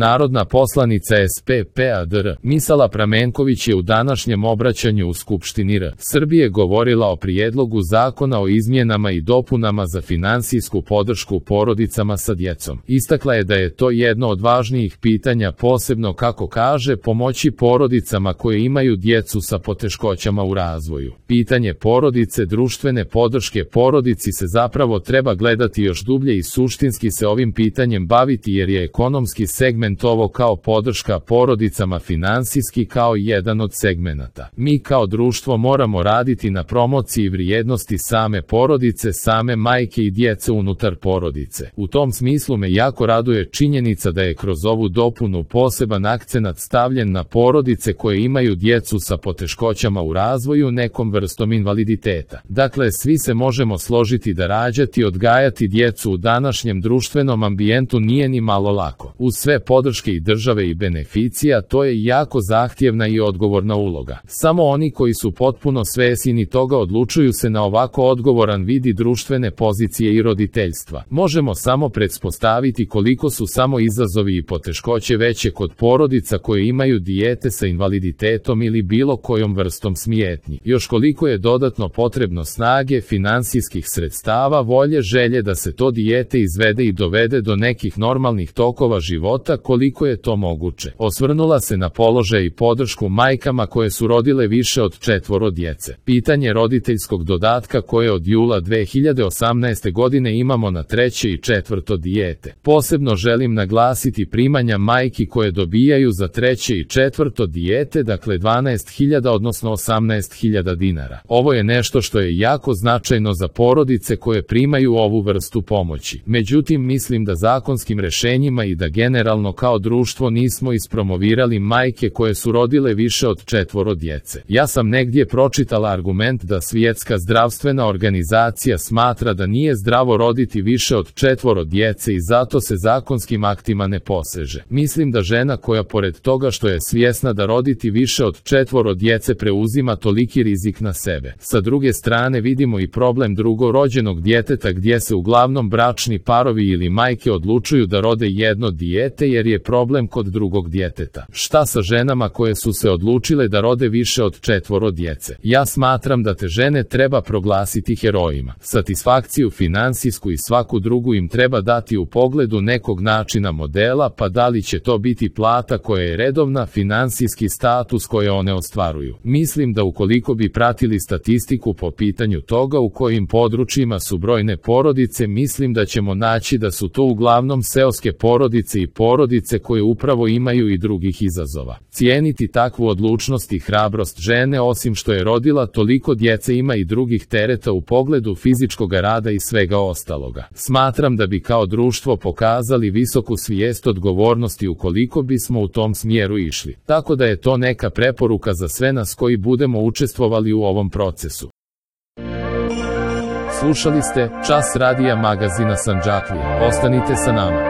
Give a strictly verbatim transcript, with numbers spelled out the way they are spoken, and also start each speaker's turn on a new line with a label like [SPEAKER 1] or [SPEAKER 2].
[SPEAKER 1] Narodna poslanica S P P A D R Misala Pramenković je u današnjem obraćanju u Skupštini R Srbije govorila o prijedlogu zakona o izmjenama i dopunama za finansijsku podršku porodicama sa djecom. Istakla je da je to jedno od važnijih pitanja, posebno, kako kaže, pomoći porodicama koje imaju djecu sa poteškoćama u razvoju. Pitanje porodice, društvene podrške porodici se zapravo treba gledati još dublje i suštinski se ovim pitanjem baviti, jer je ekonomski segment ovo kao podrška porodicama finansijski kao jedan od segmenata. Mi kao društvo moramo raditi na promociji vrijednosti same porodice, same majke i djece unutar porodice. U tom smislu me jako raduje činjenica da je kroz ovu dopunu poseban akcenat stavljen na porodice koje imaju djecu sa poteškoćama u razvoju nekom vrstom invaliditeta. Dakle, svi se možemo složiti da rađati i odgajati djecu u današnjem društvenom ambijentu nije ni malo lako. Uz sve podrške i države i beneficija, to je jako zahtjevna i odgovorna uloga. Samo oni koji su potpuno svjesni toga odlučuju se na ovako odgovoran vidi društvene pozicije i roditeljstva. Možemo samo pretpostaviti koliko su samo izazovi i poteškoće veće kod porodica koje imaju dijete sa invaliditetom ili bilo kojom vrstom smetnji. Još koliko je dodatno potrebno snage, finansijskih sredstava, volje, želje da se to dijete izvede i dovede do nekih normalnih tokova života, koliko je to moguće. Osvrnula se na položaj i podršku majkama koje su rodile više od četvoro djece. Pitanje roditeljskog dodatka koje od jula dve hiljade osamnaeste godine imamo na treće i četvrto dijete. Posebno želim naglasiti primanja majki koje dobijaju za treće i četvrto dijete, dakle dvanaest hiljada odnosno osamnaest hiljada dinara. Ovo je nešto što je jako značajno za porodice koje primaju ovu vrstu pomoći. Međutim, mislim da zakonskim rješenjima i da generalno kao društvo nismo ispromovirali majke koje su rodile više od četvoro djece. Ja sam negdje pročitala argument da Svjetska zdravstvena organizacija smatra da nije zdravo roditi više od četvoro djece i zato se zakonskim aktima ne poseže. Mislim da žena koja pored toga što je svjesna da roditi više od četvoro djece preuzima toliki rizik na sebe. Sa druge strane vidimo i problem drugorođenog djeteta gdje se uglavnom bračni parovi ili majke odlučuju da rode jedno dijete jer je problem kod drugog djeteta. Šta sa ženama koje su se odlučile da rode više od četvoro djece? Ja smatram da te žene treba proglasiti herojima. Satisfakciju finansijsku i svaku drugu im treba dati u pogledu nekog načina modela, pa da li će to biti plata koja je redovna, finansijski status koje one ostvaruju. Mislim da ukoliko bi pratili statistiku po pitanju toga u kojim područjima su brojne porodice, mislim da ćemo naći da su to uglavnom seoske porodice i porodice koje upravo imaju i drugih izazova. Cijeniti takvu odlučnost i hrabrost žene, osim što je rodila toliko djece, ima i drugih tereta u pogledu fizičkog rada i svega ostaloga. Smatram da bi kao društvo pokazali visoku svijest odgovornosti ukoliko bismo u tom smjeru išli. Tako da je to neka preporuka za sve nas koji budemo učestvovali u ovom procesu. Slušali ste Čas radija magazina Sandžaklija. Ostanite sa nama.